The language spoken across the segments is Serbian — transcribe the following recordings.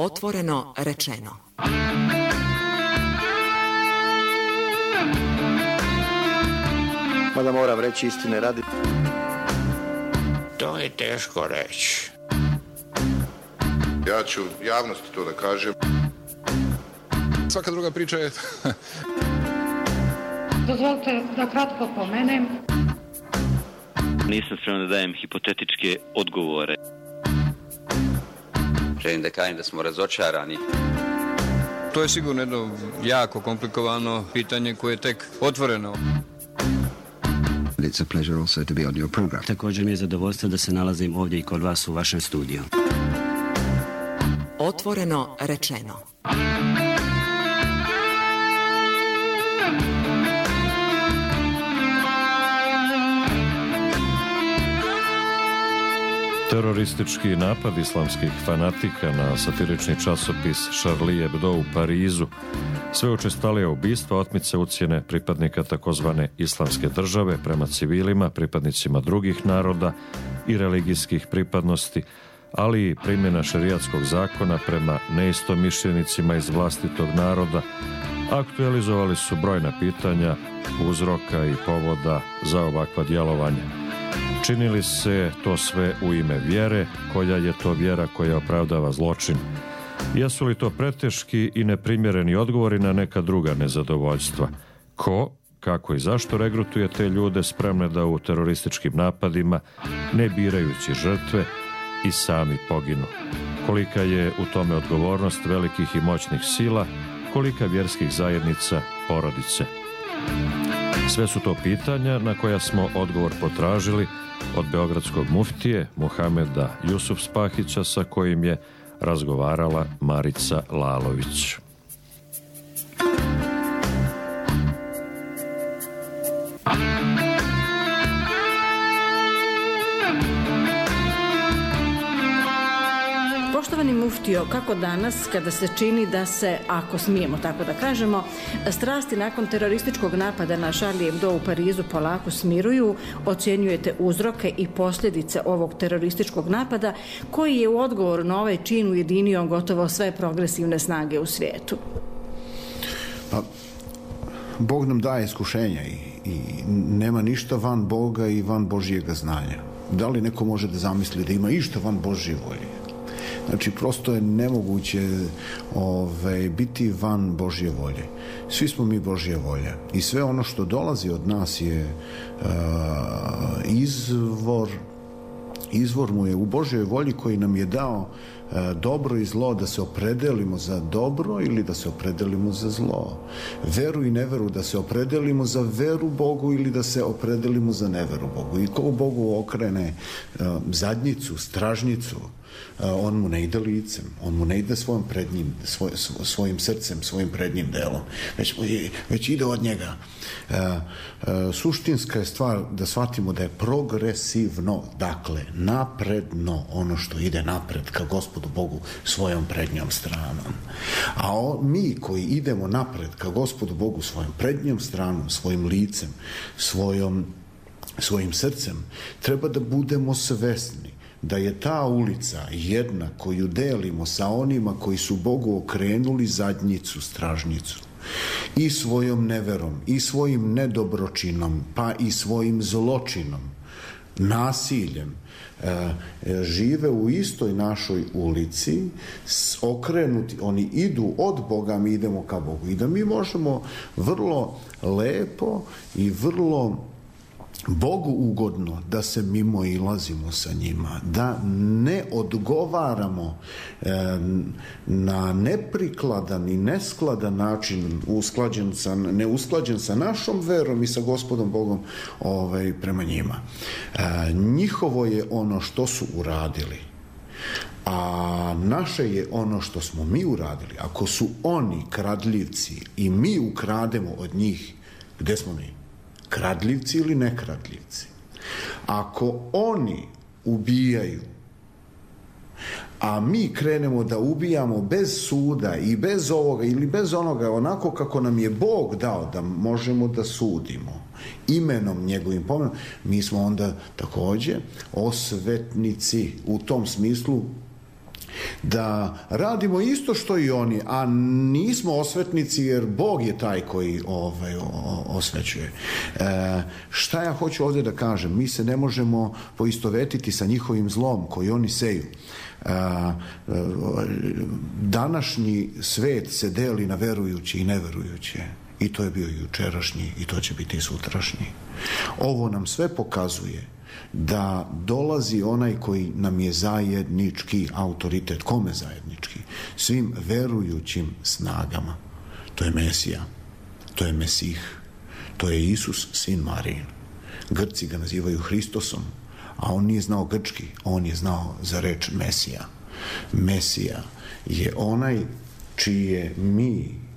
Otvoreno rečeno. Mada moram reći istine radi. To je teško reći. Ja ću javnosti to da kažem. Svaka druga priča je... Dozvolite da kratko pomenem. Nisam spreman da dajem hipotetičke odgovore. Želim da kažem da smo razočarani. To je sigurno jedno jako komplikovano pitanje koje je tek otvoreno. It's a pleasure also to be on your program. Također mi je zadovoljstvo da se nalazim ovdje i kod vas u vašem studiju. Otvoreno rečeno. Teroristički napad islamskih fanatika na satirični časopis Charlie Hebdo u Parizu, sve učestalije ubistva, otmice, ucjene pripadnika takozvane islamske države prema civilima, pripadnicima drugih naroda i religijskih pripadnosti, ali i primjena šerijatskog zakona prema neistomišljenicima iz vlastitog naroda, aktualizovali su brojna pitanja, uzroka i povoda za ovakva djelovanja. Činili se to sve u ime vjere, koja je to vjera koja opravdava zločin? Jesu li to preteški i neprimjereni odgovori na neka druga nezadovoljstva? Ko, kako i zašto regrutuje te ljude spremne da u terorističkim napadima, ne birajući žrtve, i sami poginu? Kolika je u tome odgovornost velikih i moćnih sila, kolika vjerskih zajednica, porodice? Sve su to pitanja na koja smo odgovor potražili od beogradskog muftije Muhameda Jusufspahića, sa kojim je razgovarala Marica Lalović. Poštovani muftio, kako danas, kada se čini da se, ako smijemo tako da kažemo, strasti nakon terorističkog napada na Charlie Hebdo u Parizu polako smiruju, ocjenjujete uzroke i posljedice ovog terorističkog napada, koji je u odgovoru na ovaj čin ujedinio gotovo sve progresivne snage u svijetu? Pa, Bog nam daje iskušenja i nema ništa van Boga i van Božjega znanja. Da li neko može da zamisli da ima išta van Božje volje? Znači, prosto je nemoguće biti van Božje volje. Svi smo mi Božje volje. I sve ono što dolazi od nas je izvor mu je u Božjoj volji, koji nam je dao dobro i zlo, da se opredelimo za dobro ili da se opredelimo za zlo. Veru i neveru, da se opredelimo za veru Bogu ili da se opredelimo za neveru Bogu. I ko Bogu okrene zadnjicu, stražnicu, on mu ne ide licem, on mu ne ide svojim srcem, svojim prednjim delom, već ide od njega. Suštinska je stvar da shvatimo da je progresivno, dakle napredno, ono što ide napred ka Gospodu Bogu svojom prednjom stranom. A mi koji idemo napred ka Gospodu Bogu svojom prednjom stranom, svojim licem, svojim srcem, treba da budemo svesni da je ta ulica jedna koju delimo sa onima koji su Bogu okrenuli zadnjicu, stražnicu, i svojom neverom, i svojim nedobročinom, pa i svojim zločinom, nasiljem, žive u istoj našoj ulici, okrenuti, oni idu od Boga, mi idemo ka Bogu. I da mi možemo vrlo lepo i vrlo Bogu ugodno da se mimo ilazimo sa njima, da ne odgovaramo na neprikladan i neskladan način, neusklađen sa našom verom i sa Gospodom Bogom prema njima. Njihovo je ono što su uradili, a naše je ono što smo mi uradili. Ako su oni kradljivci i mi ukrademo od njih, gde smo mi? Kradljivci ili nekradljivci? Ako oni ubijaju, a mi krenemo da ubijamo bez suda i bez ovoga ili bez onoga, onako kako nam je Bog dao da možemo da sudimo imenom njegovim pomenom, mi smo onda takođe osvetnici. U tom smislu da radimo isto što i oni, a nismo osvetnici jer Bog je taj koji osvećuje. Šta ja hoću ovdje da kažem? Mi se ne možemo poistovetiti sa njihovim zlom koji oni seju. Današnji svet se deli na verujući i neverujuće. I to je bio jučerašnji i to će biti i sutrašnji. Ovo nam sve pokazuje da dolazi onaj koji nam je zajednički autoritet. Kome zajednički? Svim verujućim snagama. To je Mesija, to je Mesih, to je Isus, sin Marijin. Grci ga nazivaju Hristosom, a on nije znao grčki, on je znao za reč Mesija. Mesija je onaj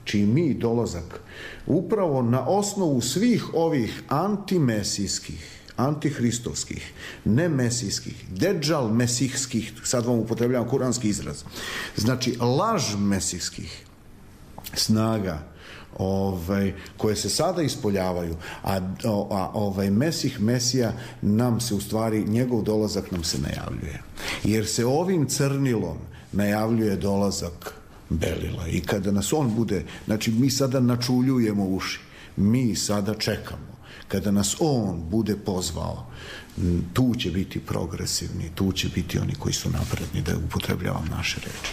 čiji mi dolazak upravo na osnovu svih ovih antimesijskih, antihristovskih, nemesijskih, deđal mesijskih, sad vam upotrebljavam kuranski izraz, znači laž mesijskih snaga koje se sada ispoljavaju, a Mesija nam se u stvari, njegov dolazak nam se najavljuje. Jer se ovim crnilom najavljuje dolazak belila. I kada nas on bude, znači mi sada načuljujemo uši, mi sada čekamo. Kada nas on bude pozvao, tu će biti progresivni, tu će biti oni koji su napredni, da upotrebljavam naše reči.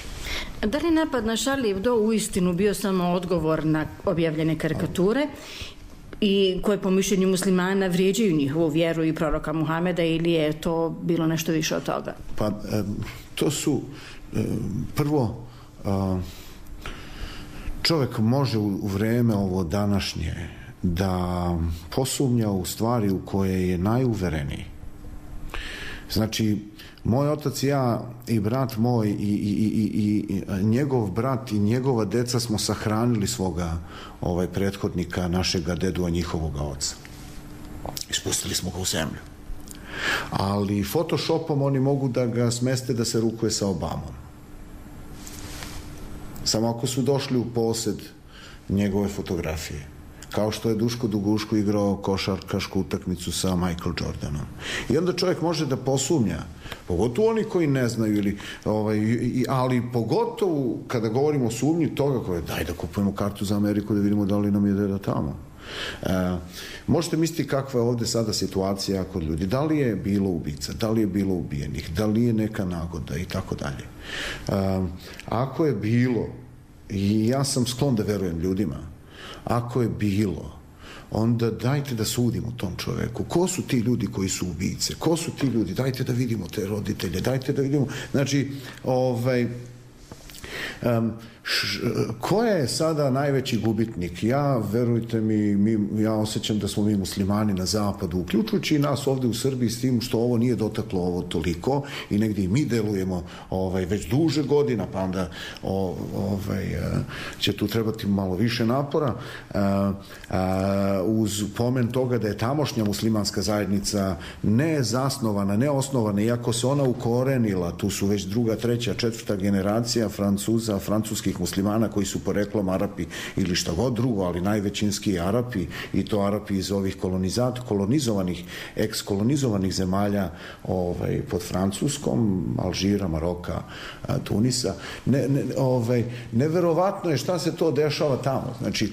Da li napad na Charlie Hebdo uistinu bio samo odgovor na objavljene karikature i koje po mišljenju muslimana vrijeđaju njihovu vjeru i proroka Muhameda, ili je to bilo nešto više od toga? Pa to su prvo čovjek može u vreme ovo današnje da posumnja u stvari u koje je najuvereniji. Znači, moj otac i ja i brat moj i njegov brat i njegova deca smo sahranili svoga prethodnika, našega dedu, a njihovoga oca. Ispustili smo ga u zemlju. Ali Photoshopom oni mogu da ga smeste da se rukuje sa Obamom. Samo ako su došli u posjed njegove fotografije. Kao što je Duško Duguško igrao košarkašku utakmicu sa Michael Jordanom. I onda čovjek može da posumnja, pogotovo oni koji ne znaju, ali pogotovo kada govorimo o sumnji toga koje daj da kupujemo kartu za Ameriku da vidimo da li nam je deda tamo. Možete misliti kakva je ovdje sada situacija kod ljudi. Da li je bilo ubica, da li je bilo ubijenih, da li je neka nagoda i tako dalje. Ako je bilo, i ja sam sklon da verujem ljudima, ako je bilo, onda dajte da sudimo tom čoveku. Ko su ti ljudi koji su ubice? Ko su ti ljudi? Dajte da vidimo te roditelje. Dajte da vidimo. Znači, ko je sada najveći gubitnik? Ja, verujte mi, ja osjećam da smo mi muslimani na zapadu, uključujući i nas ovdje u Srbiji, s tim što ovo nije dotaklo ovo toliko i negdje i mi delujemo već duže godina, pa onda će tu trebati malo više napora, uz pomen toga da je tamošnja muslimanska zajednica ne zasnovana, ne osnovana, iako se ona ukorenila, tu su već druga, treća, četvrta generacija Francuza, francuskih muslimana koji su poreklom Arapi ili šta god drugo, ali najvećinski Arapi, i to Arapi iz ovih kolonizovanih, ekskolonizovanih zemalja pod Francuskom, Alžira, Maroka, Tunisa. Neverovatno je šta se to dešava tamo. Znači,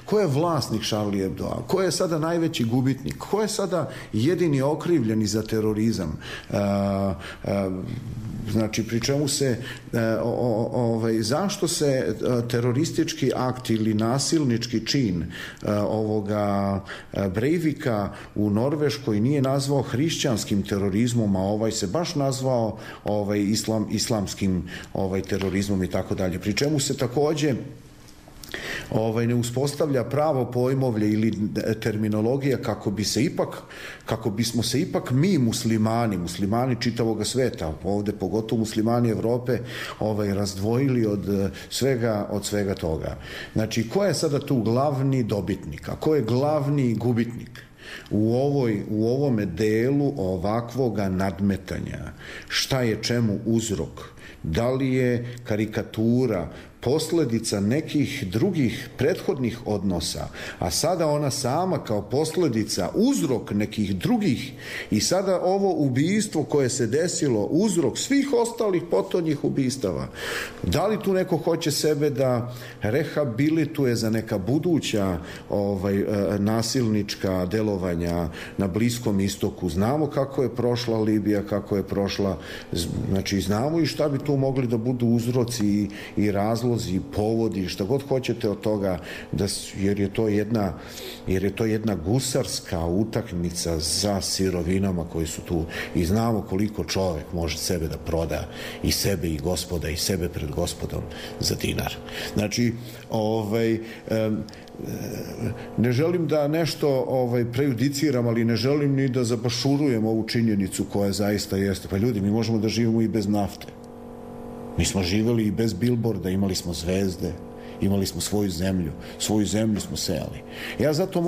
ko je vlasnik Charlie Hebdoa? Ko je sada najveći gubitnik? Ko je sada jedini okrivljeni za terorizam? Znači, pri čemu se zašto se teroristički akt ili nasilnički čin ovoga Breivika u Norveškoj nije nazvao hrišćanskim terorizmom, a ovaj se baš nazvao islamskim terorizmom i tako dalje. Pri čemu se također ne uspostavlja pravo pojmovlje ili terminologija kako bismo se ipak mi muslimani čitavog sveta, ovdje pogotovo muslimani Evrope, razdvojili od svega toga. Znači, ko je sada tu glavni dobitnik, a ko je glavni gubitnik u ovome delu ovakvoga nadmetanja? Šta je čemu uzrok? Da li je karikatura posljedica nekih drugih prethodnih odnosa, a sada ona sama kao posljedica, uzrok nekih drugih, i sada ovo ubijstvo koje se desilo, uzrok svih ostalih potonjih ubistava. Da li tu neko hoće sebe da rehabilituje za neka buduća nasilnička delovanja na Bliskom istoku? Znamo kako je prošla Libija, kako je prošla, znači znamo i šta bi tu mogli da budu uzroci i razlozi, povodi, šta god hoćete od toga, jer je to jedna gusarska utakmica za sirovinama koji su tu, i znamo koliko čovek može sebe da proda, i sebe i Gospoda, i sebe pred Gospodom za dinar. Znači, ne želim da nešto prejudiciram, ali ne želim ni da zabašurujem ovu činjenicu koja zaista jeste. Pa ljudi, mi možemo da živimo i bez nafte. Mi smo živeli i bez bilborda, imali smo zvezde, imali smo svoju zemlju smo sejali. Ja zato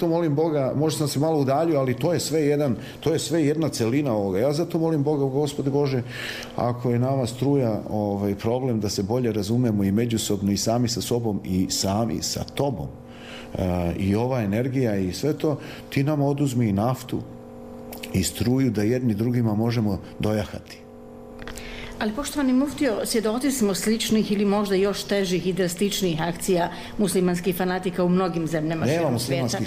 molim Boga, možda sam se malo udaljio, ali to je sve jedna celina ovoga. Ja zato molim Boga, Gospode Bože, ako je nama struja problem da se bolje razumemo i međusobno, i sami sa sobom, i sami sa tobom, i ova energija i sve to, ti nam oduzmi i naftu i struju da jedni drugima možemo dojahati. Ali, poštovani muftio, svjedoci smo sličnih ili možda još težih i drastičnijih akcija muslimanskih fanatika u mnogim zemljama širom svijeta.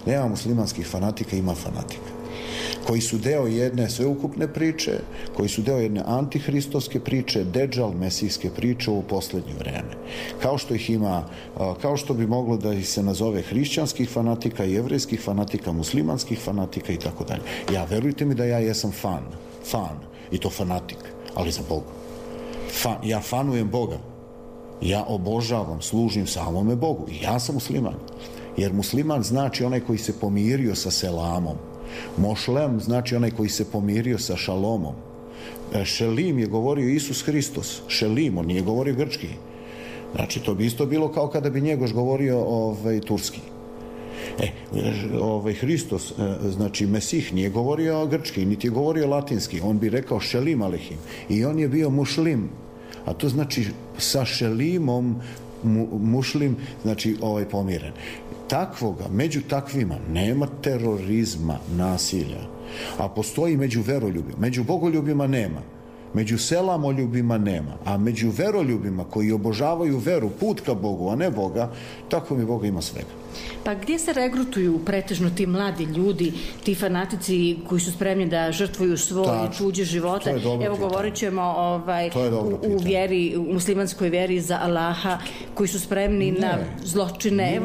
Nema muslimanskih fanatika, ima fanatika koji su deo jedne sveukupne priče, koji su deo jedne antihristovske priče, Dedžal, mesijske priče u poslednje vreme. Kao što ih ima, kao što bi moglo da ih se nazove hrišćanskih fanatika, jevrejskih fanatika, muslimanskih fanatika i tako dalje. Ja, verujte mi da ja jesam fan, i to fanatik, ali za Boga. Ja fanujem Boga. Ja obožavam, služim samome Bogu. I ja sam musliman. Jer musliman znači onaj koji se pomirio sa selamom. Mošlem znači onaj koji se pomirio sa šalomom. Šelim je govorio Isus Hristos. Šelim, on nije govorio grčki. Znači, to bi isto bilo kao kada bi Njegoš govorio turski. Hristos, znači Mesih, nije govorio grčki, niti je govorio latinski, on bi rekao šelim alehim, i on je bio mušlim, a to znači sa šelimom, mušlim, znači pomiren. Takvoga, među takvima nema terorizma, nasilja, a postoji među veroljubima. Među bogoljubima nema, među selamoljubima nema, a među veroljubima koji obožavaju veru, put ka Bogu, a ne Boga, tako mi Boga ima svega. Pa gdje se regrutuju pretežno ti mladi ljudi, ti fanatici koji su spremni da žrtvuju svoje i tuđe živote? Evo, govorit ćemo u muslimanskoj vjeri za Allaha, koji su spremni na zločine.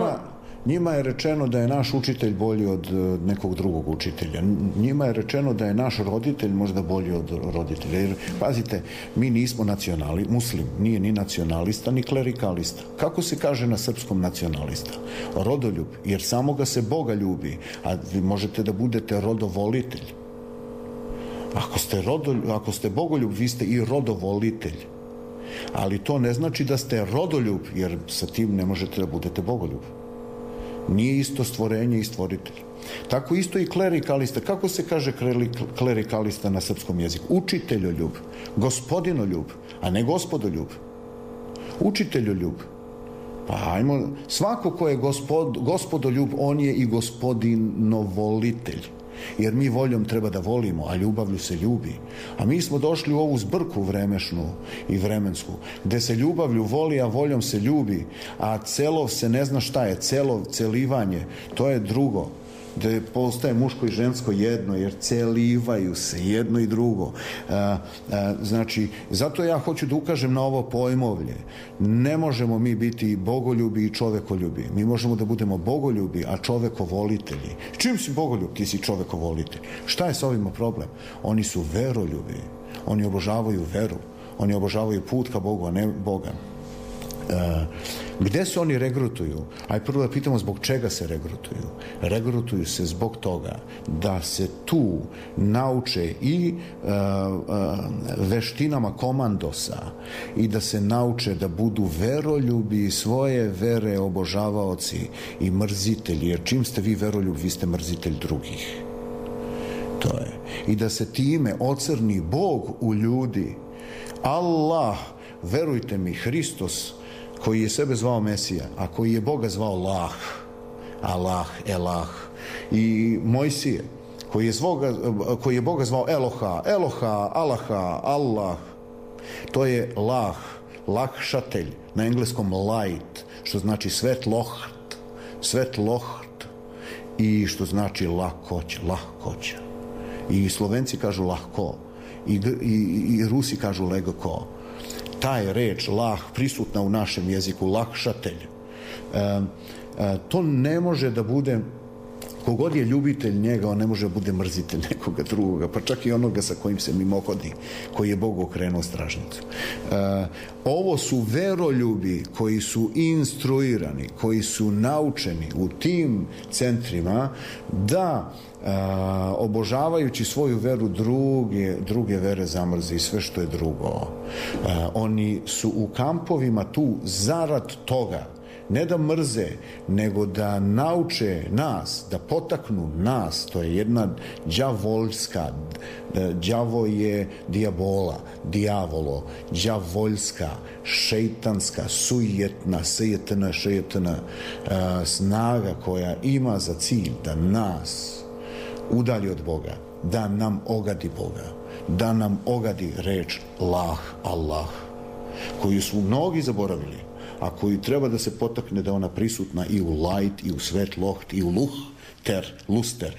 Njima je rečeno da je naš učitelj bolji od nekog drugog učitelja. Njima je rečeno da je naš roditelj možda bolji od roditelja. Jer, pazite, mi nismo muslim, nije ni nacionalista, ni klerikalista. Kako se kaže na srpskom nacionalista? Rodoljub, jer samoga se Boga ljubi, a vi možete da budete rodovolitelj. Ako ste bogoljub, vi ste i rodovolitelj. Ali to ne znači da ste rodoljub, jer sa tim ne možete da budete bogoljub. Nije isto stvorenje i stvoritelj. Tako isto i klerikalista. Kako se kaže klerikalista na srpskom jeziku? Učiteljoljub, gospodinoljub, a ne gospodoljub. Učiteljoljub. Pa ajmo, svako ko je gospodoljub, on je i gospodinovolitelj. Jer mi voljom treba da volimo, a ljubavlju se ljubi. A mi smo došli u ovu zbrku vremešnu i vremensku, gde se ljubavlju voli, a voljom se ljubi, a celov se ne zna šta je, celivanje, to je drugo, gde postaje muško i žensko jedno, jer celivaju se jedno i drugo. Znači, zato ja hoću da ukažem na ovo pojmovlje. Ne možemo mi biti bogoljubi i čovekoljubi. Mi možemo da budemo bogoljubi, a čovekovolitelji. Čim si bogoljub, ti si čovekovolitelj. Šta je s ovima problem? Oni su veroljubi. Oni obožavaju veru. Oni obožavaju put ka Bogu, a ne Boga. Gde se oni regrutuju? Aj prvo da pitamo zbog čega se regrutuju. Regrutuju se zbog toga da se tu nauče i veštinama komandosa i da se nauče da budu veroljubi svoje vere, obožavaoci i mrzitelji, jer čim ste vi veroljub, vi ste mrzitelj drugih. To je. I da se time ocrni Bog u ljudi. Allah verujte mi, Hristos koji je sebe zvao Mesija, a koji je Boga zvao Lah, Allah, Elah, i Mojsije koji je Boga zvao Eloha, Allaha, Allah, to je Lah, lakšatelj, na engleskom light, što znači svetloht, i što znači lahkoća. I Slovenci kažu lahko, i Rusi kažu legko. Taj reč lah prisutna u našem jeziku, lakšatelj. To ne može da bude, kogod je ljubitelj njega, on ne može da bude mrzitelj nekoga drugoga, pa čak i onoga sa kojim se mimohodi, koji je Bogu okrenuo stražnicu. Ovo su veroljubi koji su instruirani, koji su naučeni u tim centrima da obožavajući svoju veru druge vere zamrze i sve što je drugo. Oni su u kampovima tu zarad toga, ne da mrze, nego da nauče nas, da potaknu nas. To je jedna đavoljska, đavo je dijavolo, đavoljska, šeitanska, sujetna, snaga koja ima za cilj da nas udalji od Boga, da nam ogadi Boga, da nam ogadi reč Lah, Allah, koju su mnogi zaboravili, a koju treba da se potakne da ona prisutna i u light, i u svetloht, i u luster,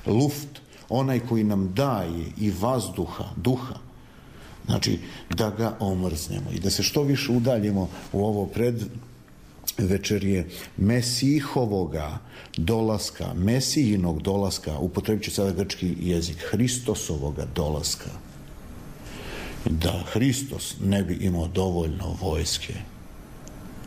luft, onaj koji nam daje i vazduha, duha. Znači, da ga omrznemo i da se što više udaljimo u ovo predvečerje Mesihovoga dolaska, Mesijinog dolaska, upotrebit ću sada grčki jezik, Hristosovoga dolaska. Da Hristos ne bi imao dovoljno vojske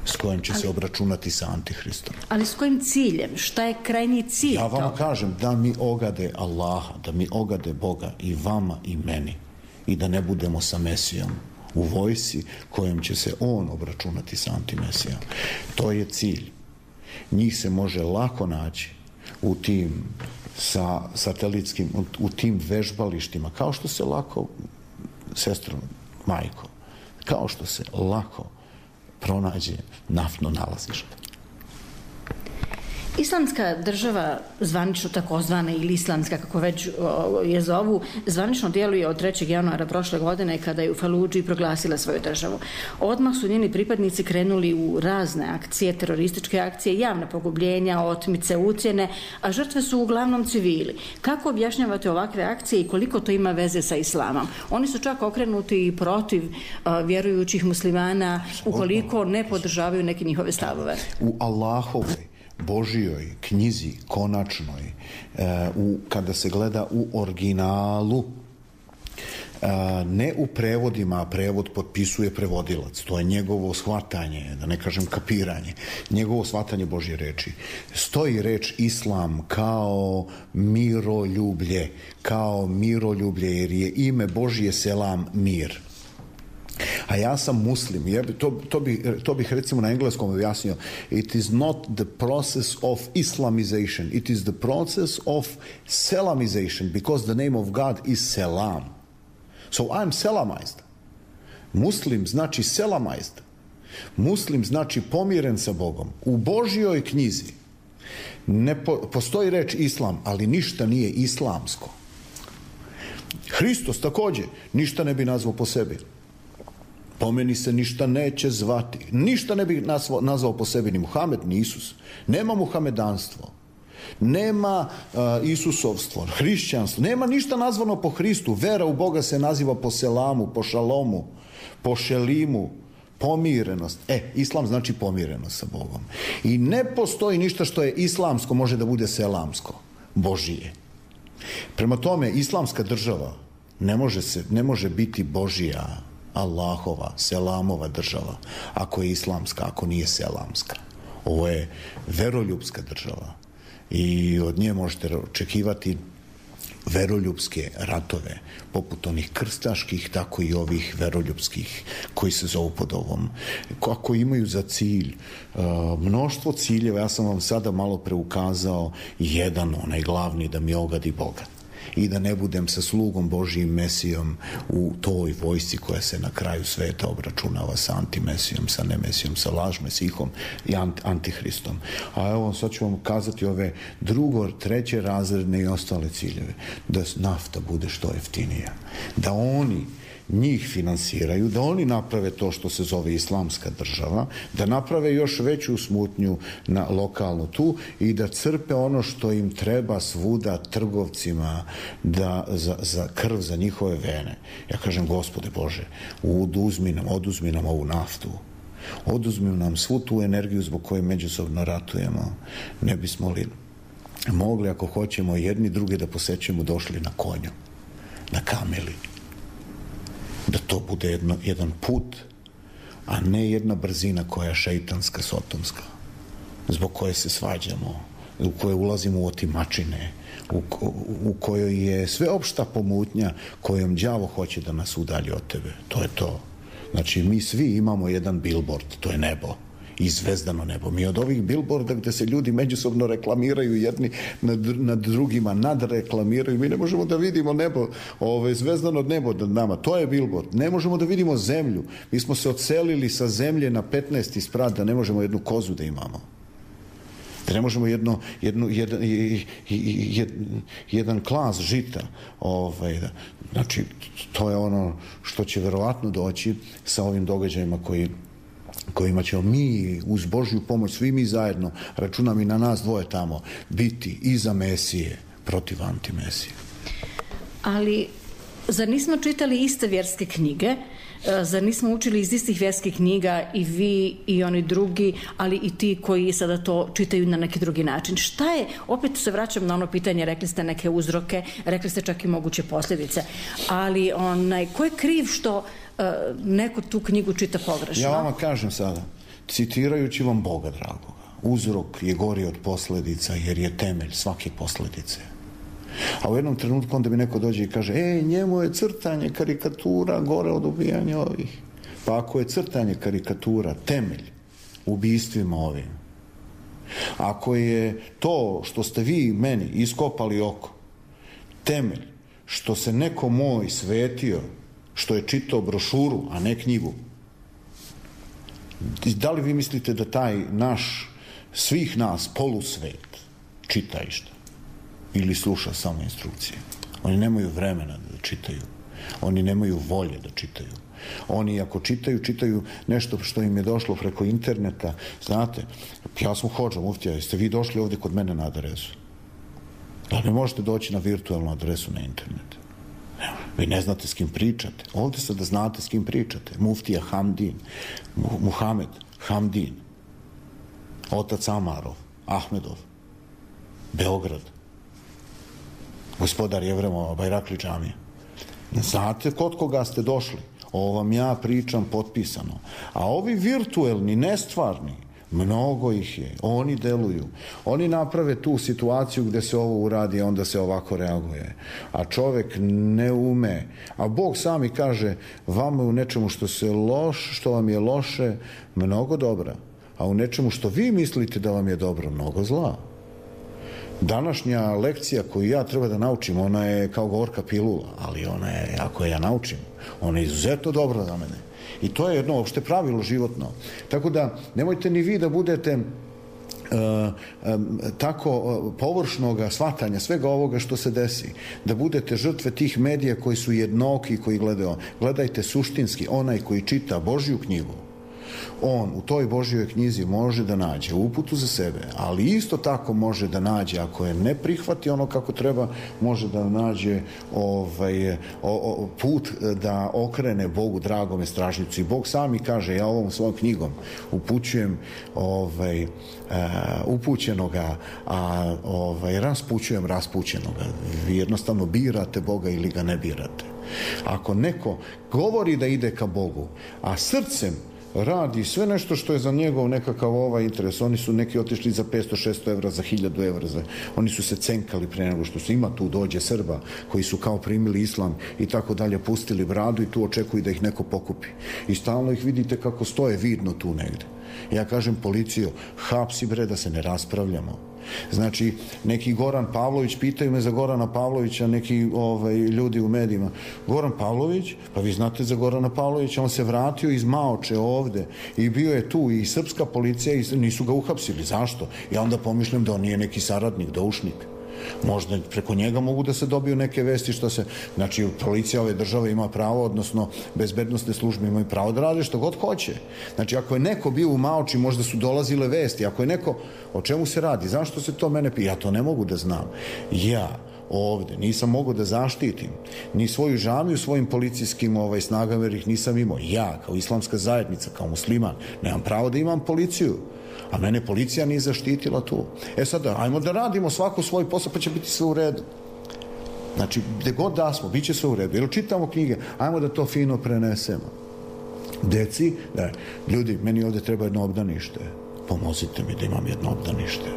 s kojim će se obračunati sa Antihristom. Ali s kojim ciljem? Šta je krajnji cilj toga? Ja vam kažem da mi ogade Allaha, da mi ogade Boga i vama i meni, i da ne budemo sa Mesijom u vojsi kojom će se on obračunati sa Antimesijom. To je cilj. Njih se može lako naći u tim satelitskim, u tim vežbalištima, kao što se lako, sestro, majko, kao što se lako pronađe naftno nalazište. Islamska država, zvanično takozvana ili islamska, kako već je zovu, zvanično djeluje od 3. januara prošle godine kada je u Faludži proglasila svoju državu. Odmah su njeni pripadnici krenuli u razne akcije, terorističke akcije, javna pogubljenja, otmice, ucjene, a žrtve su uglavnom civili. Kako objašnjavate ovakve akcije i koliko to ima veze sa islamom? Oni su čak okrenuti i protiv vjerujućih muslimana ukoliko ne podržavaju neke njihove stavove. U Allahovoj Božijoj knjizi konačnoj, kada se gleda u originalu, ne u prevodima, a prevod potpisuje prevodilac, to je njegovo shvatanje, da ne kažem kapiranje, njegovo shvatanje Božje reči. Stoji reč islam kao miroljublje, jer je ime Božje selam, mir. A ja sam muslim. To bih recimo na engleskom objasnio. It is not the process of Islamization. It is the process of Selamization, because the name of God is Selam. So I'm Selamized. Muslim znači Selamized. Muslim znači pomiren sa Bogom. U Božjoj knjizi ne postoji reč islam, ali ništa nije islamsko. Hristos također ništa ne bi nazvao po sebi. Po meni se ništa neće zvati. Ništa ne bi nazvao po sebi ni Muhamed, ni Isus. Nema muhamedanstvo. Nema Isusovstvo, hrišćanstvo. Nema ništa nazvano po Hristu. Vera u Boga se naziva po selamu, po šalomu, po šelimu. Pomirenost. Islam znači pomirenost sa Bogom. I ne postoji ništa što je islamsko, može da bude selamsko. Božije. Prema tome, islamska država ne može biti Božija, Allahova, selamova država, ako je islamska, ako nije selamska. Ovo je veroljubska država i od nje možete očekivati veroljubske ratove, poput onih krstaških, tako i ovih veroljubskih koji se zovu pod ovom. Kako imaju za cilj mnoštvo ciljeva, ja sam vam sada malo preukazao jedan, onaj glavni, da mi ogadi Boga. i da ne budem sa slugom Božijim Mesijom u toj vojsci koja se na kraju sveta obračunava sa antimesijom, sa nemesijom, sa lažmesihom i antihristom. A evo, sad ću vam kazati ove treće razredne i ostale ciljeve. Da nafta bude što jeftinija. Da oni njih finansiraju, da oni naprave to što se zove islamska država, da naprave još veću smutnju na lokalnu tu i da crpe ono što im treba svuda trgovcima za krv, za njihove vene. Ja kažem, Gospode Bože, oduzmi nam ovu naftu, oduzmi nam svu tu energiju zbog koje međusobno ratujemo. Ne bismo li mogli, ako hoćemo jedni druge da posećemo, došli na konju, na kameli. Da to bude jedan put, a ne jedna brzina koja je šeitanska, sotonska, zbog koje se svađamo, u koje ulazimo u otimačine, u kojoj je sveopšta pomutnja kojom đavo hoće da nas udalji od tebe. To je to. Znači, mi svi imamo jedan billboard, to je nebo. I zvezdano nebo. Mi od ovih billboarda gde se ljudi međusobno reklamiraju jedni nad drugima, nadreklamiraju, mi ne možemo da vidimo nebo, zvezdano nebo nad nama. To je billboard. Ne možemo da vidimo zemlju. Mi smo se odselili sa zemlje na 15. sprat da ne možemo jednu kozu da imamo. Da ne možemo jedan klas žita. Znači, to je ono što će verovatno doći sa ovim događajima kojima ćemo mi uz Božju pomoć, svi mi zajedno, računam i na nas dvoje tamo, biti iza Mesije protiv antimesije. Ali, zar nismo čitali iste vjerske knjige? Zar nismo učili iz istih vjerskih knjiga i vi i oni drugi, ali i ti koji sada to čitaju na neki drugi način? Šta je, opet se vraćam na ono pitanje, rekli ste neke uzroke, rekli ste čak i moguće posljedice, ali ko je kriv što neko tu knjigu čita pogrešno? Ja vama kažem sada, citirajući vam Boga dragoga, uzrok je gori od posljedica jer je temelj svake posljedice. A u jednom trenutku onda mi neko dođe i kaže, njemu je crtanje karikatura gore od ubijanja ovih. Pa ako je crtanje karikatura temelj ubijstvima ovim, ako je to što ste vi meni iskopali oko temelj što se neko moj svetio, što je čitao brošuru, a ne knjigu, da li vi mislite da taj naš, svih nas, polusvet čita išta? Ili sluša samo instrukcije? Oni nemaju vremena da čitaju. Oni nemaju volje da čitaju. Oni ako čitaju nešto što im je došlo preko interneta. Znate, ja sam hodža muftija, jeste vi došli ovdje kod mene na adresu? Da ne možete doći na virtualnu adresu na internet? Vi ne znate s kim pričate. Ovdje sad da znate s kim pričate. Muftija Hamdin, Muhamed Hamdin, otac Amarov, Ahmedov, Beograd, gospodar Jevremova, Bajrakli džamije. Znate kod koga ste došli? Ovo vam ja pričam potpisano. A ovi virtuelni, nestvarni, mnogo ih je. Oni deluju. Oni naprave tu situaciju gde se ovo uradi, onda se ovako reaguje. A čovek ne ume. A Bog sami kaže, vama je u nečemu što vam je loše, mnogo dobra. A u nečemu što vi mislite da vam je dobro, mnogo zla. Današnja lekcija koju ja treba da naučim, ona je kao gorka pilula, ali ona je, ako je ja naučim, ona je izuzetno dobra za mene. I to je jedno opšte pravilo životno. Tako da, nemojte ni vi da budete tako površnoga shvatanja svega ovoga što se desi. Da budete žrtve tih medija koji su jednoki, koji gledaju. Gledajte suštinski, onaj koji čita Božju knjigu. On u toj Božjoj knjizi može da nađe uputu za sebe, ali isto tako može da nađe, ako je ne prihvati ono kako treba, može da nađe put da okrene Bogu dragome stražnicu. I Bog sami kaže, ja ovom svojom knjigom upućujem upućenoga, a raspućujem raspućenoga. Vi jednostavno birate Boga ili ga ne birate. Ako neko govori da ide ka Bogu, a srcem radi sve nešto što je za njegov nekakav interes. Oni su neki otišli za 500-600 evra, za 1000 evra. Oni su se cenkali pre nego što se ima tu dođe Srba koji su kao primili islam i tako dalje, pustili bradu i tu očekuju da ih neko pokupi. I stalno ih vidite kako stoje vidno tu negde. Ja kažem policiju, hapsi bre da se ne raspravljamo. Znači, neki Goran Pavlović, pitaju me za Gorana Pavlovića neki ljudi u medijima. Goran Pavlović, pa vi znate za Gorana Pavlovića, on se vratio iz Maoče ovde i bio je tu i srpska policija i nisu ga uhapsili. Zašto? Ja onda pomišljam da on nije neki saradnik, doušnik. Možda preko njega mogu da se dobiju neke vesti što se, znači policija ove države ima pravo, odnosno bezbednosne službe imaju pravo da rade što god hoće. Znači ako je neko bio u Maoči, možda su dolazile vesti, ako je neko, o čemu se radi, zašto se to mene pita, ja to ne mogu da znam. Ja ovde nisam mogao da zaštitim ni svoju džamiju svojim policijskim snagama jer ih nisam imao. Ja kao islamska zajednica, kao musliman, nemam pravo da imam policiju. A mene policija nije zaštitila tu. Sada, ajmo da radimo svako svoj posao, pa će biti sve u redu. Znači, gde god da smo, bit će sve u redu. Jer čitamo knjige, ajmo da to fino prenesemo. Deci, ljudi, meni ovde treba jedno obdanište. Pomozite mi da imam jedno obdanište.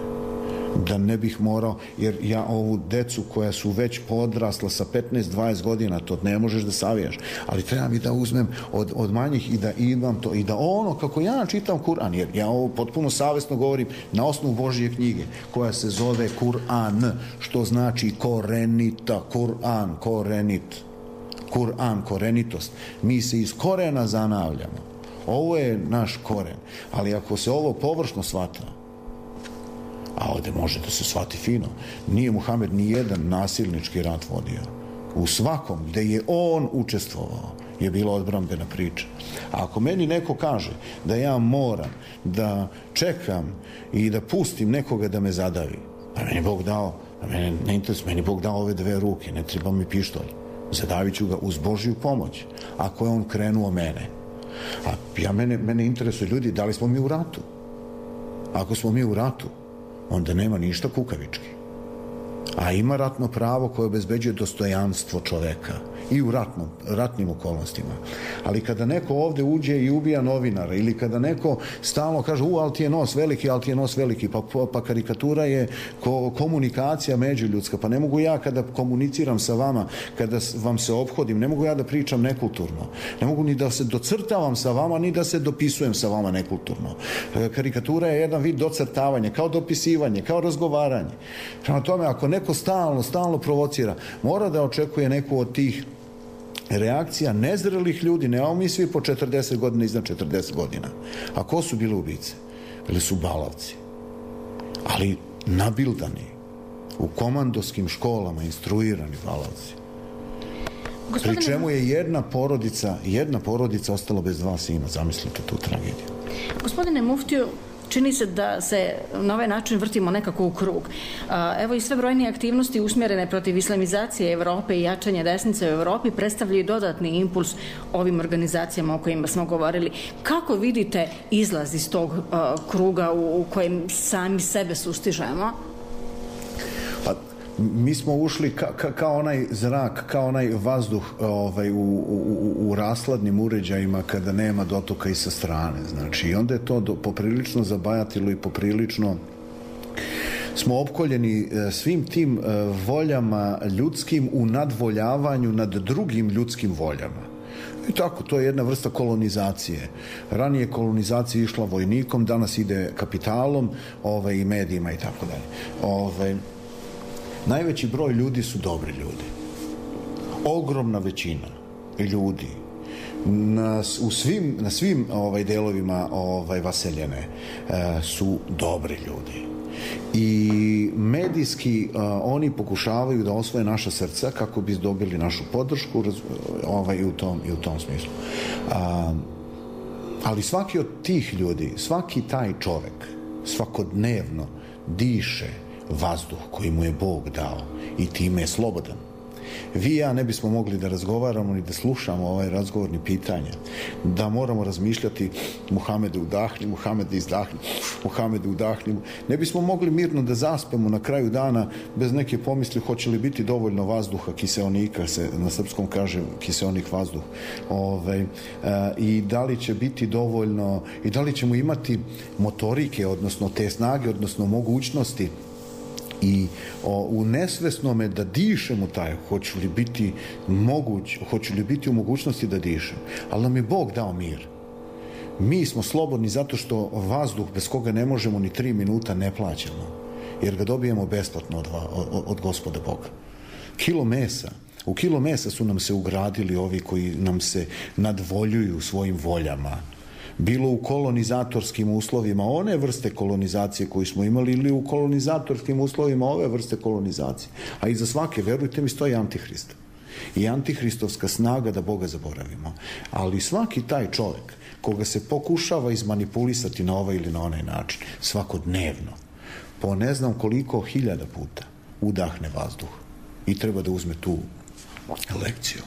Da ne bih morao, jer ja ovu decu koja su već podrasla sa 15-20 godina, to ne možeš da savijaš, ali treba mi da uzmem od manjih i da imam to, i da ono, kako ja čitam Kur'an, jer ja ovo potpuno savesno govorim na osnovu Božje knjige, koja se zove Kur'an, što znači korenita, Kur'an, korenit, Kur'an, korenitost. Mi se iz korena zanavljamo. Ovo je naš koren, ali ako se ovo površno shvata, a ovde može da se shvati fino, nije Muhamed ni jedan nasilnički rat vodio. U svakom gde je on učestvovao je bila odbrambena priča. A ako meni neko kaže da ja moram da čekam i da pustim nekoga da me zadavi, pa meni Bog dao, mene ne interesuje, meni Bog dao ove dve ruke, ne treba mi pištolj. Zadavit ću ga uz Božju pomoć, ako je on krenuo mene. A mene interesuje, ljudi, da li smo mi u ratu? Ako smo mi u ratu, onda nema ništa kukavički. A ima ratno pravo koje obezbeđuje dostojanstvo čoveka i u ratnim okolnostima. Ali kada neko ovde uđe i ubija novinara ili kada neko stalno kaže ali ti je nos veliki, pa karikatura je komunikacija međuljudska, pa ne mogu ja kada komuniciram sa vama, kada vam se ophodim, ne mogu ja da pričam nekulturno, ne mogu ni da se docrtavam sa vama, ni da se dopisujem sa vama nekulturno. Karikatura je jedan vid docrtavanja, kao dopisivanje, kao razgovaranje. Prema tome, ako neko stalno provocira, mora da očekuje neku od tih reakcija nezrelih ljudi. Nemamo mi svi po 40 godina, iznad 40 godina. A ko su bili ubice? Bili su balavci. Ali nabildani, u komandoskim školama instruirani balavci. Pri čemu je jedna porodica ostala bez dva sina. Zamislite tu tragediju. Gospodine muftiju, čini se da se na ovaj način vrtimo nekako u krug. Evo i sve brojnije aktivnosti usmjerene protiv islamizacije Evrope i jačanja desnice u Evropi predstavljaju dodatni impuls ovim organizacijama o kojima smo govorili. Kako vidite izlaz iz tog kruga u kojem sami sebe sustižemo? Mi smo ušli kao onaj zrak, kao onaj vazduh u rasladnim uređajima kada nema dotoka i sa strane. Znači, i onda je to poprilično zabajatilo i poprilično smo opkoljeni svim tim voljama ljudskim u nadvoljavanju nad drugim ljudskim voljama. I tako, to je jedna vrsta kolonizacije. Ranije kolonizacija išla vojnikom, danas ide kapitalom i medijima i tako dalje. Najveći broj ljudi su dobri ljudi. Ogromna većina ljudi na svim delovima vaseljene su dobri ljudi. I medijski oni pokušavaju da osvoje naša srca kako bi dobili našu podršku i u tom smislu. Ali svaki od tih ljudi, svaki taj čovek svakodnevno diše vazduh koji mu je Bog dao i time je slobodan. Vi i ja ne bismo mogli da razgovaramo ni da slušamo ovaj razgovorni pitanja, da moramo razmišljati Muhamede udahni, Muhamede izdahni, Muhamede udahni. Ne bismo mogli mirno da zaspemo na kraju dana bez neke pomisli hoće li biti dovoljno vazduha, kiseonika se na srpskom kaže kiseonik vazduh, i da li će biti dovoljno i da li ćemo imati motorike, odnosno te snage, odnosno mogućnosti i u nesvesnome da dišemo taj, hoću li biti u mogućnosti da dišem. Ali nam je Bog dao mir. Mi smo slobodni zato što vazduh bez koga ne možemo ni 3 minuta ne plaćamo, jer ga dobijemo besplatno od Gospoda Boga. U kilo mesa su nam se ugradili ovi koji nam se nadvoljuju svojim voljama. Bilo u kolonizatorskim uslovima one vrste kolonizacije koju smo imali ili u kolonizatorskim uslovima ove vrste kolonizacije. A iza svake, verujte mi, stoji Antihrist. I antihristovska snaga da Boga zaboravimo. Ali svaki taj čovjek koga se pokušava izmanipulisati na ovaj ili na onaj način, svakodnevno, po ne znam koliko hiljada puta udahne vazduh i treba da uzme tu lekciju.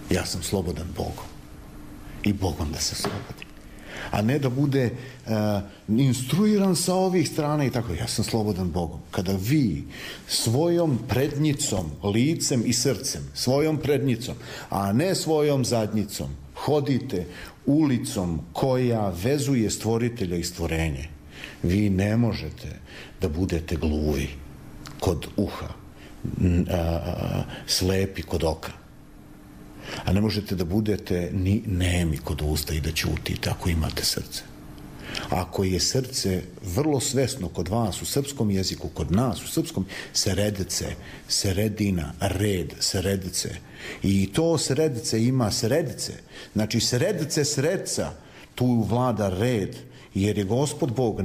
Ja sam slobodan Bogom i Bogom da se slobodi. A ne da bude instruiran sa ovih strana i tako. Ja sam slobodan Bogom. Kada vi svojom prednjicom, licem i srcem, svojom prednjicom, a ne svojom zadnjicom, hodite ulicom koja vezuje stvoritelja i stvorenje, vi ne možete da budete gluvi kod uha, slepi kod oka. A ne možete da budete ni nemi kod usta i da ćutite ako imate srce. Ako je srce vrlo svesno kod vas u srpskom jeziku, kod nas u srpskom, seredece, seredina, red, seredece. I to seredece ima sredice. Znači sredice sredca, tu vlada red, jer je Gospod Bog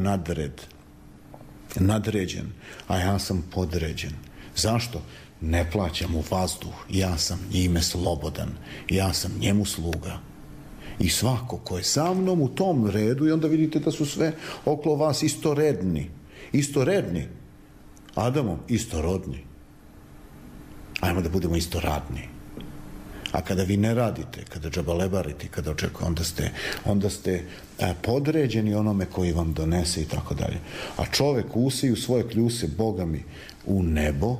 nadređen, a ja sam podređen. Zašto? Ne plaćam mu vazduh, ja sam njime slobodan, ja sam njemu sluga. I svako ko je sa mnom u tom redu, i onda vidite da su sve okolo vas istoredni, Adamom istorodni. Ajmo da budemo istoradni. A kada vi ne radite, kada džabalebarite, kada očekujete, onda ste podređeni onome koji vam donese i tako dalje. A čovek usiju svoje kljuse, Boga mi, u nebo,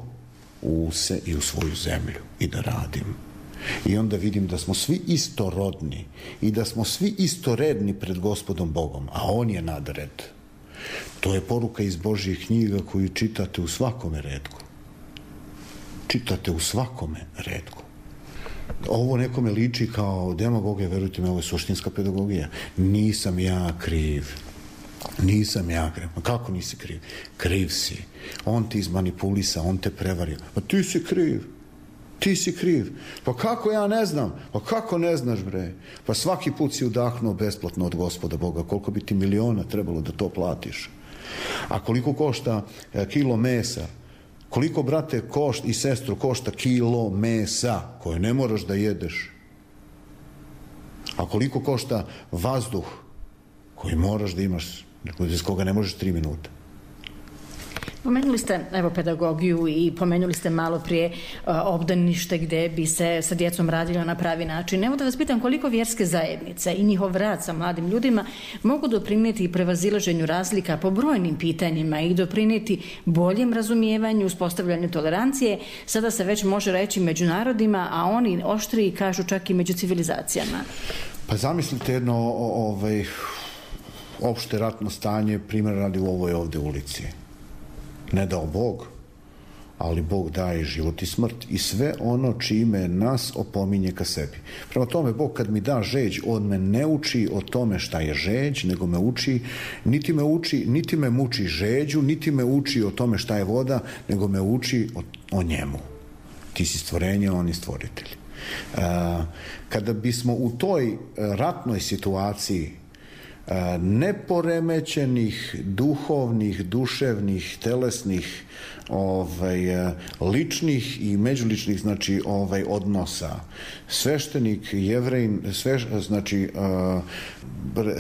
use i u svoju zemlju i da radim. I onda vidim da smo svi istorodni i da smo svi istoredni pred Gospodom Bogom, a On je nadred. To je poruka iz Božjih knjiga koju čitate u svakome retku. Čitate u svakome retku. Ovo nekome liči kao demagogija, verujte mi, ovo je suštinska pedagogija. Nisam ja kriv. Ma kako nisi kriv? Kriv si. On ti izmanipulisa, on te prevario. Pa ti si kriv. Pa kako ja ne znam? Pa kako ne znaš, bre? Pa svaki put si udahnuo besplatno od Gospoda Boga. Koliko bi ti miliona trebalo da to platiš? A koliko košta kilo mesa? Koliko, brate, i sestru, košta kilo mesa koje ne moraš da jedeš? A koliko košta vazduh koji moraš da imaš, bez koga ne možeš 3 minuta? Pomenuli ste, evo, pedagogiju i pomenuli ste malo prije obdanište gde bi se sa djecom radilo na pravi način. Evo da vas pitam koliko vjerske zajednice i njihov rad sa mladim ljudima mogu doprinijeti i prevazilaženju razlika po brojnim pitanjima i doprinijeti boljem razumijevanju, uspostavljanju tolerancije, sada se već može reći među narodima, a oni oštriji kažu čak i među civilizacijama. Pa zamislite jedno opšte ratno stanje, primjer radi u ovoj ovde ulici. Ne dao Bog, ali Bog daje život i smrt i sve ono čime nas opominje ka sebi. Prema tome, Bog kad mi da žeđ, On me ne uči o tome šta je žeđ, nego me uči, niti me muči žeđu, niti me uči o tome šta je voda, nego me uči o njemu. Ti si stvorenje, on je stvoritelj. Kada bismo u toj ratnoj situaciji neporemećenih duhovnih, duševnih, telesnih, ličnih i međuličnih, znači odnosa. Sveštenik Jevrejin, znači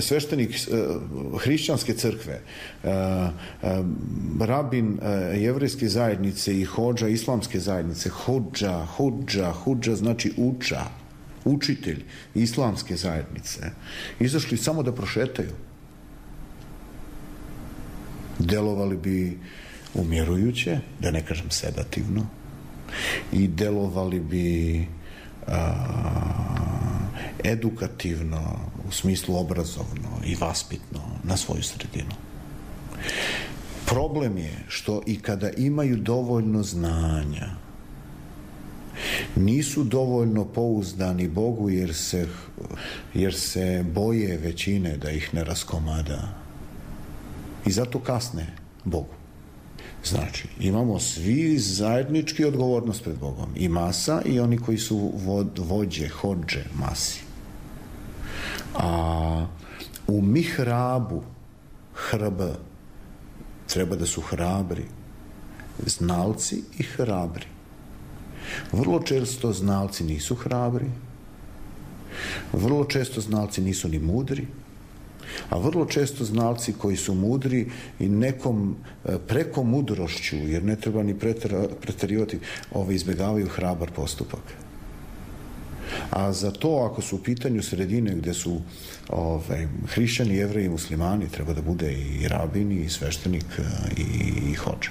sveštenik hrišćanske crkve, rabin jevrejske zajednice i hodža islamske zajednice, hodža znači učitelj islamske zajednice, izašli samo da prošetaju. Delovali bi umjerujuće, da ne kažem sedativno, i delovali bi edukativno, u smislu obrazovno i vaspitno na svoju sredinu. Problem je što i kada imaju dovoljno znanja, nisu dovoljno pouzdani Bogu jer se boje većine da ih ne raskomada. I zato kasne Bogu. Znači, imamo svi zajednički odgovornost pred Bogom. I masa i oni koji su vođe, hodže masi. A u mihrabu treba da su hrabri znalci i hrabri. Vrlo često znalci nisu hrabri, vrlo često znalci nisu ni mudri, a vrlo često znalci koji su mudri i nekom preko mudrošću, jer ne treba ni preterivati, izbjegavaju hrabar postupak. A za to, ako su u pitanju sredine gde su hrišćani, jevreji i muslimani, treba da bude i rabin, i sveštenik, i hodža,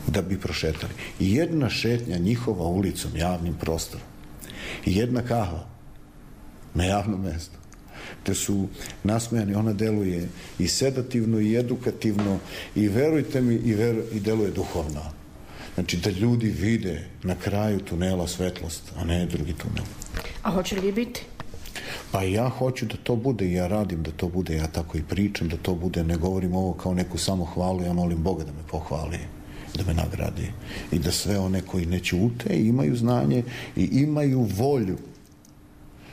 da bi prošetali. I jedna šetnja njihova ulicom, javnim prostorom, i jedna kahva na javnom mestu, gde su nasmejani, ona deluje i sedativno, i edukativno, i verujte mi, i deluje duhovno. Znači, da ljudi vide na kraju tunela svetlost, a ne drugi tunel. A hoće li biti? Pa ja hoću da to bude, ja radim da to bude, ja tako i pričam da to bude, ne govorim ovo kao neku samohvalu, ja molim Boga da me pohvali, da me nagradi i da sve one koji ne ćute imaju znanje i imaju volju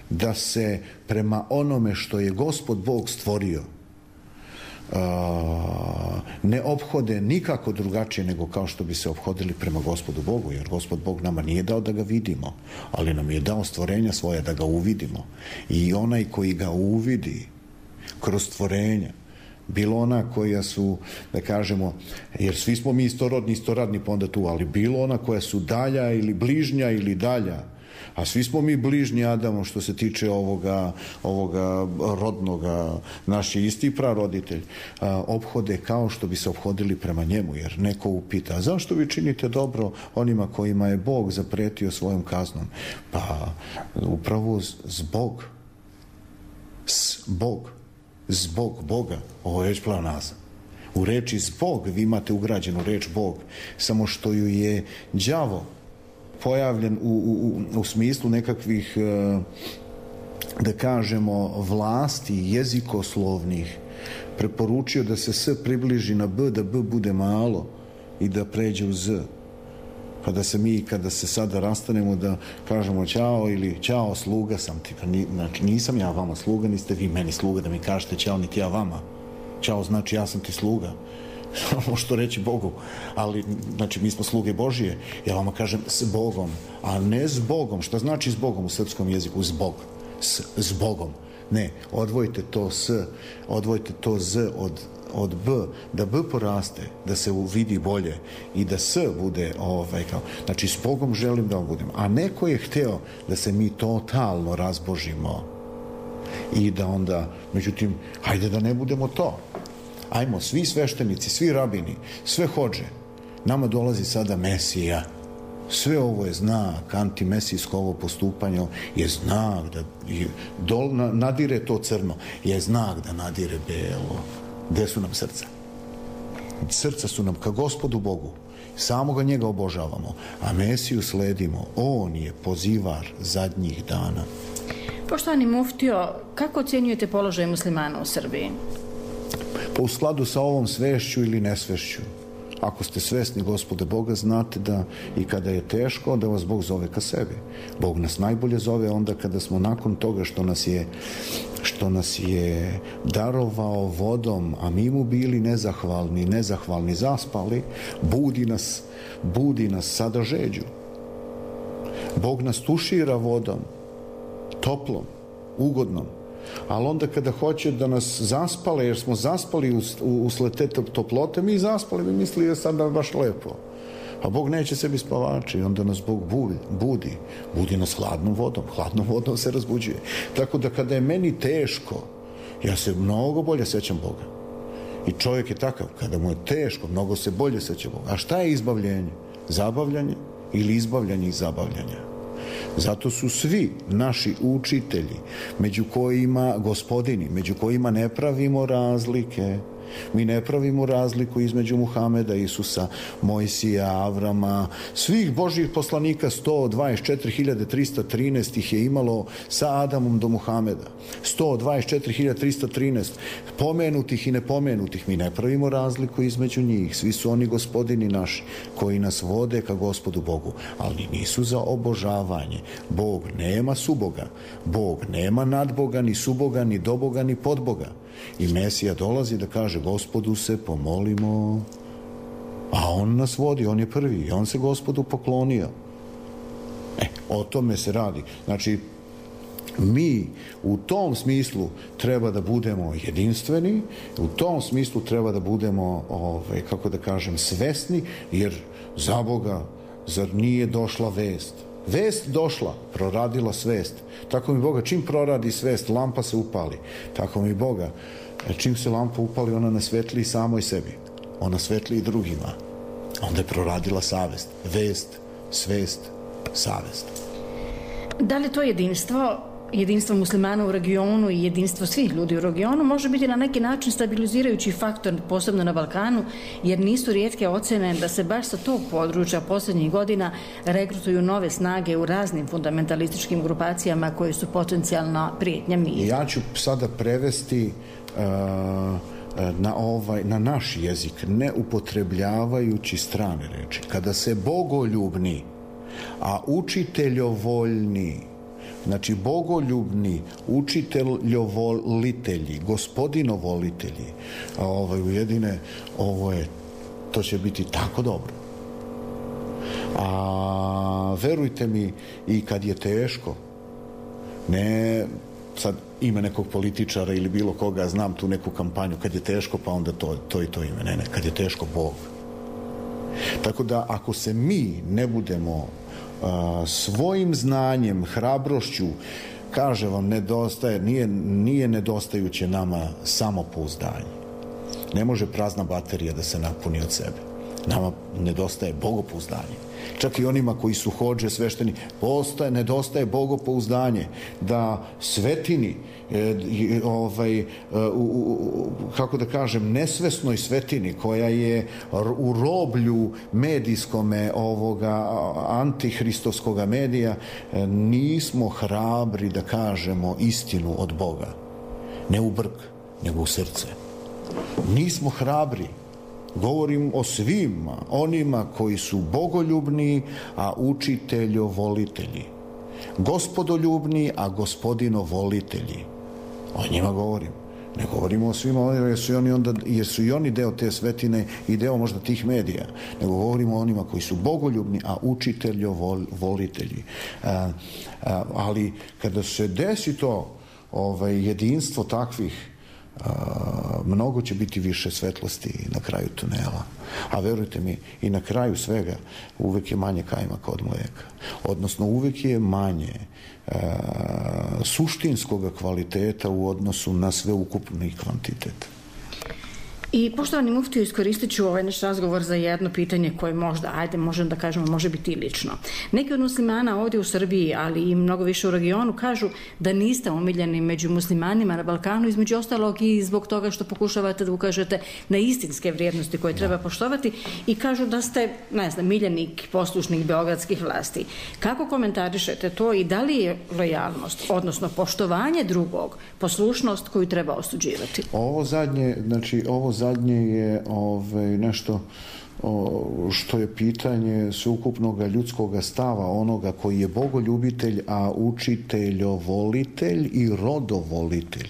da se prema onome što je Gospod Bog stvorio ne ophode nikako drugačije nego kao što bi se ophodili prema Gospodu Bogu, jer Gospod Bog nama nije dao da ga vidimo, ali nam je dao stvorenja svoje da ga uvidimo. I onaj koji ga uvidi kroz stvorenja, bilo ona koja su, da kažemo, jer svi smo mi istoradni pa onda tu, ali bilo ona koja su dalja ili bližnja ili dalja, a svi smo mi bližnji Adamu što se tiče ovoga rodnoga, naš je isti praroditelj, ophode kao što bi se ophodili prema njemu, jer neko upita, a zašto vi činite dobro onima kojima je Bog zapretio svojom kaznom? Pa upravo zbog Boga, ovo je reč pleonazam. U reči zbog vi imate ugrađenu reč Bog, samo što ju je đavo pojavljen u smislu nekakvih, da kažemo, vlasti jezikoslovnih, preporučio da se S približi na B, da B bude malo i da pređe u Z. Pa da se mi, kada se sada rastanemo, da kažemo ćao ili ćao, sluga sam ti. Znači, nisam ja vama sluga, niste vi meni sluga da mi kažete ćao, niti ja vama. Ćao znači ja sam ti sluga. Što reći Bogu, ali znači mi smo sluge Božije, ja vama kažem s Bogom, a ne s Bogom. Šta znači s Bogom u srpskom jeziku? Zbog, s Bogom. Ne, odvojite to S, odvojite to Z od B, da B poraste, da se vidi bolje i da S bude kao, znači s Bogom želim da budem, a neko je hteo da se mi totalno razbožimo i da onda, međutim, hajde da ne budemo to. Ajmo, svi sveštenici, svi rabini, sve hodže, nama dolazi sada Mesija. Sve ovo je znak, antimesijsko ovo postupanje je znak da nadire to crno, je znak da nadire belo. Gde su nam srca? Srca su nam ka Gospodu Bogu. Samoga njega obožavamo, a Mesiju sledimo. On je pozivar zadnjih dana. Poštovani muftio, kako ocjenjujete položaj muslimana u Srbiji? Pa u skladu sa ovom svešću ili nesvešću. Ako ste svesni Gospoda Boga, znate da i kada je teško, da vas Bog zove ka sebi. Bog nas najbolje zove onda kada smo nakon toga što nas je darovao vodom, a mi mu bili nezahvalni, zaspali, budi nas sada žeđu. Bog nas tušira vodom, toplom, ugodnom, ali onda kada hoće da nas zaspale, jer smo zaspali usled te toplote, mi zaspali, mi mislili da sad nam baš lepo. A Bog neće sebi spavači, onda nas Bog budi nas hladnom vodom se razbuđuje. Tako da kada je meni teško, ja se mnogo bolje sećam Boga. I čovjek je takav, kada mu je teško, mnogo se bolje seća Boga. A šta je izbavljenje? Zabavljanje ili izbavljanje iz zabavljanja? Zato su svi naši učitelji, među kojima gospodini, među kojima ne pravimo razlike, Mi ne pravimo razliku između Muhameda, Isusa, Mojsija, Avrama, svih Božjih poslanika, 124.313 ih je imalo sa Adamom do Muhameda. 124.313 pomenutih i nepomenutih. Mi ne pravimo razliku između njih. Svi su oni gospodini naši koji nas vode ka Gospodu Bogu, ali nisu za obožavanje. Bog nema suboga. Bog nema nadboga, ni suboga, ni doboga, ni podboga. I Mesija dolazi da kaže Gospodu se pomolimo, a on nas vodi, on je prvi i on se Gospodu poklonio. O tome se radi. Znači, mi u tom smislu treba da budemo jedinstveni, u tom smislu treba da budemo, kako da kažem, svesni, jer za Boga, zar nije došla vest? Vest došla, proradila svest. Tako mi Boga, čim proradi svest, lampa se upali. Tako mi Boga, čim se lampa upali, ona ne svetli samoj sebi. Ona svetli i drugima. Onda je proradila savest. Vest, svest, savest. Da li to jedinstvo muslimana u regionu i jedinstvo svih ljudi u regionu može biti na neki način stabilizirajući faktor, posebno na Balkanu, jer nisu rijetke ocene da se baš sa tog područja posljednjih godina regrutuju nove snage u raznim fundamentalističkim grupacijama koje su potencijalna prijetnja miru. Ja ću sada prevesti na naš jezik, ne upotrebljavajući strane reči. Kada se bogoljubni, a učiteljovoljni, znači bogoljubni, učiteljovolitelji, gospodinovolitelji, ujedine, to će biti tako dobro. A verujte mi, i kad je teško, ne sad ime nekog političara ili bilo koga, znam tu neku kampanju, kad je teško, pa onda to i to ime. Ne, kad je teško, Bog. Tako da, ako se mi ne budemo svojim znanjem, hrabrošću, kaže vam, nedostaje, nije nedostajuće nama samopouzdanje. Ne može prazna baterija da se napuni od sebe. Nama nedostaje bogopouzdanje. Čak i onima koji su hodže, svešteni, nedostaje bogopouzdanje. Da svetini, kako da kažem, nesvesnoj svetini koja je u roblju medijskome antihristovskoga medija, nismo hrabri da kažemo istinu od Boga. Ne u brk, nego u srce. Nismo hrabri. Govorim o svima onima koji su bogoljubni, a učiteljovolitelji. Gospodoljubni, a gospodinovolitelji. O njima govorim. Ne govorimo o svima onima jer su i oni deo te svetine i deo možda tih medija. Nego govorimo o onima koji su bogoljubni, a učiteljovolitelji. Ali kada se desi to jedinstvo takvih, mnogo će biti više svetlosti na kraju tunela. A verujte mi, i na kraju svega uvek je manje kajmaka od mleka. Odnosno, uvek je manje suštinskog kvaliteta u odnosu na sveukupni kvantitet. I poštovani muftiju, iskoristit ću ovaj naš razgovor za jedno pitanje koje možemo da kažemo, može biti i lično. Neki od muslimana ovdje u Srbiji, ali i mnogo više u regionu, kažu da niste omiljeni među muslimanima na Balkanu, između ostalog i zbog toga što pokušavate da ukažete na istinske vrijednosti koje treba poštovati, i kažu da ste, miljenik poslušnih beogradskih vlasti. Kako komentarišete to i da li je lojalnost, odnosno poštovanje drugog, poslušnost koju treba osuđivati? Ovo zadnje je nešto što je pitanje sveukupnog ljudskog stava onoga koji je bogoljubitelj, a učiteljovolitelj i rodovolitelj.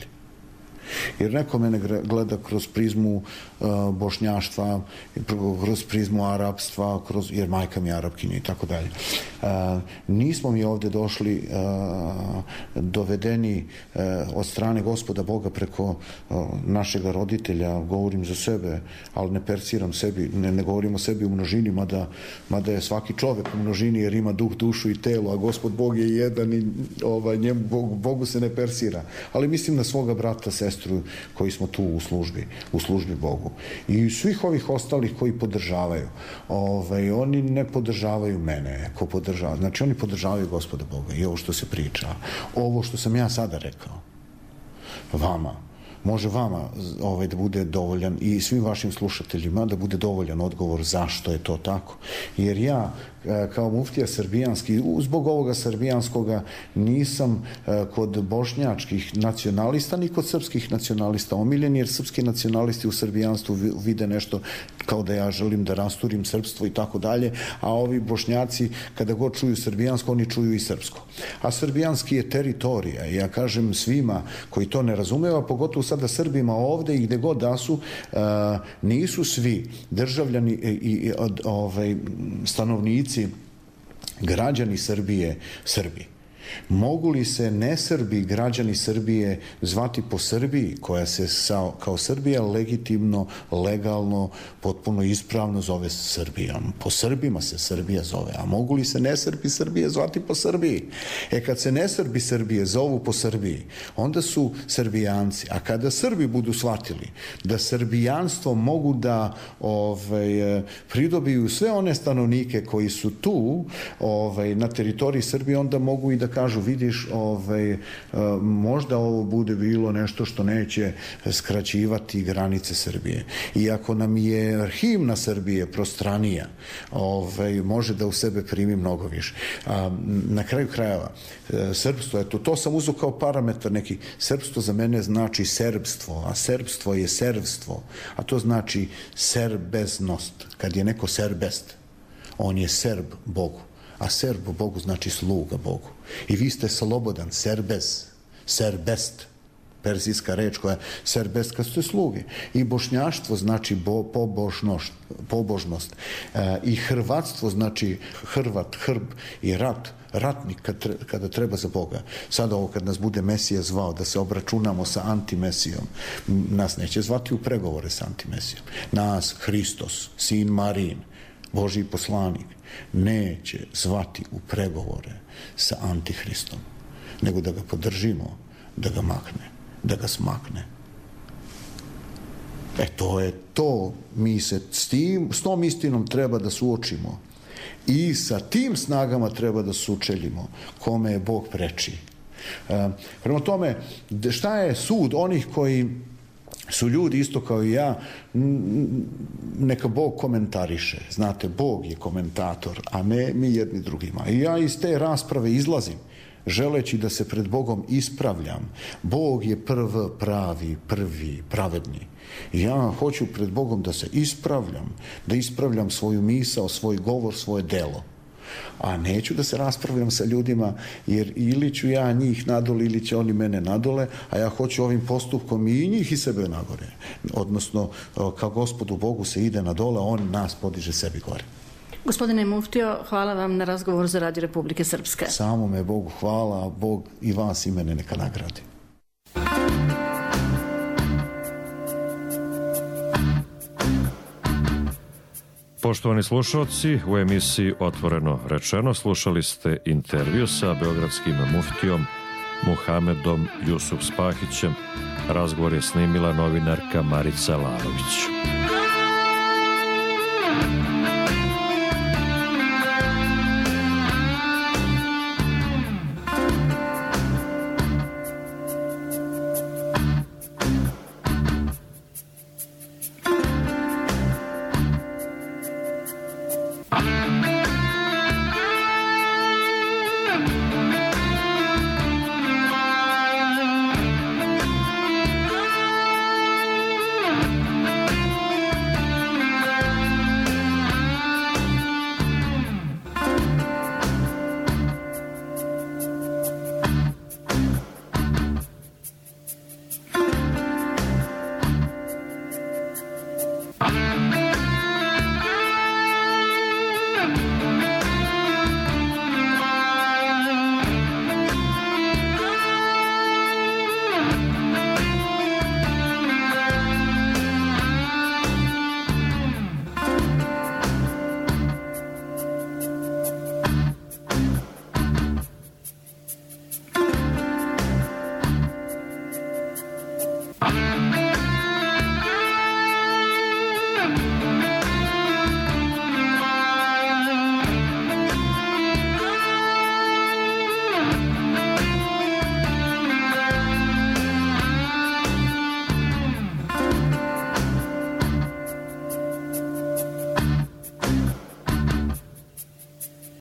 Jer neko mene gleda kroz prizmu bošnjaštva, kroz prizmu arapstva, jer majka mi je Arapkinja i tako dalje. Nismo mi ovdje došli dovedeni od strane Gospoda Boga preko našeg roditelja, govorim za sebe, ali ne persiram sebi, ne govorim o sebi u množini, mada je svaki čovek u množini jer ima duh, dušu i telo, a Gospod Bog je jedan i Bogu se ne persira. Ali mislim na svoga brata, sestru koji smo tu u službi Bogu. I svih ovih ostalih koji podržavaju. Oni ne podržavaju mene, znači oni podržavaju Gospoda Boga i ovo što se priča. Ovo što sam ja sada rekao vama, može vama da bude dovoljan i svim vašim slušateljima da bude dovoljan odgovor zašto je to tako. Jer ja kao muftija srbijanski, zbog ovoga srbijanskoga nisam kod bošnjačkih nacionalista ni kod srpskih nacionalista omiljen, jer srpski nacionalisti u srbijanstvu vide nešto kao da ja želim da rasturim srpstvo i tako dalje, a ovi bošnjaci kada god čuju srbijansko, oni čuju i srpsko. A srbijanski je teritorija. Ja kažem svima koji to ne razumeva, pogotovo sada Srbima ovde i gde god da su, nisu svi državljani i stanovnici, građani Srbije, Srbi. Mogu li se nesrbi građani Srbije zvati po Srbiji, koja se kao Srbija legitimno, legalno, potpuno ispravno zove Srbijom? Po Srbima se Srbija zove, a mogu li se nesrbi Srbije zvati po Srbiji? Kad se nesrbi Srbije zovu po Srbiji, onda su Srbijanci. A kada Srbi budu shvatili da srbijanstvo mogu da pridobiju sve one stanovnike koji su tu na teritoriji Srbije, onda mogu i da kažu, vidiš, možda ovo bude bilo nešto što neće skraćivati granice Srbije. I ako nam je himna Srbije prostranija, može da u sebe primi mnogo više. Na kraju krajeva, srpstvo, eto, to sam uzeo kao parametar neki. Srpstvo za mene znači serbstvo, a serbstvo je servstvo, a to znači serbeznost. Kad je neko serbest, on je serb Bogu. A serb Bogu znači sluga Bogu. I vi ste slobodan, serbez, serbest, perzijska reč koja je serbest, kad ste sluge. I bošnjaštvo znači pobožnost. I hrvatstvo znači hrvat, hrb i ratnik kada treba za Boga. Sada ovo kad nas bude Mesija zvao da se obračunamo sa antimesijom, nas neće zvati u pregovore sa antimesijom. Nas Hristos, sin Marin, Božji poslanik, neće zvati u pregovore sa Antihristom, nego da ga podržimo, da ga makne, da ga smakne. To je to. Mi se s tom istinom treba da suočimo i sa tim snagama treba da sučeljimo kome je Bog preči. Prema tome, šta je sud onih koji su ljudi isto kao i ja, neka Bog komentariše. Znate, Bog je komentator, a ne mi jedni drugima. I ja iz te rasprave izlazim, želeći da se pred Bogom ispravljam. Bog je pravi, prvi, pravedni. I ja hoću pred Bogom da se ispravljam, da ispravljam svoju misao, svoj govor, svoje delo. A neću da se raspravljam sa ljudima, jer ili ću ja njih nadole ili će oni mene nadole, a ja hoću ovim postupkom i njih i sebe nagore. Odnosno, kao Gospodu Bogu se ide na dole, on nas podiže sebi gore. Gospodine muftio, hvala vam na razgovor za Radio Republike Srpske. Samo me Bogu hvala, a Bog i vas i mene neka nagradi. Poštovani slušalci, u emisiji Otvoreno rečeno slušali ste intervju sa beogradskim muftijom Muhamedom Jusuf Spahićem. Razgovor je snimila novinarka Marica Larović. Bye.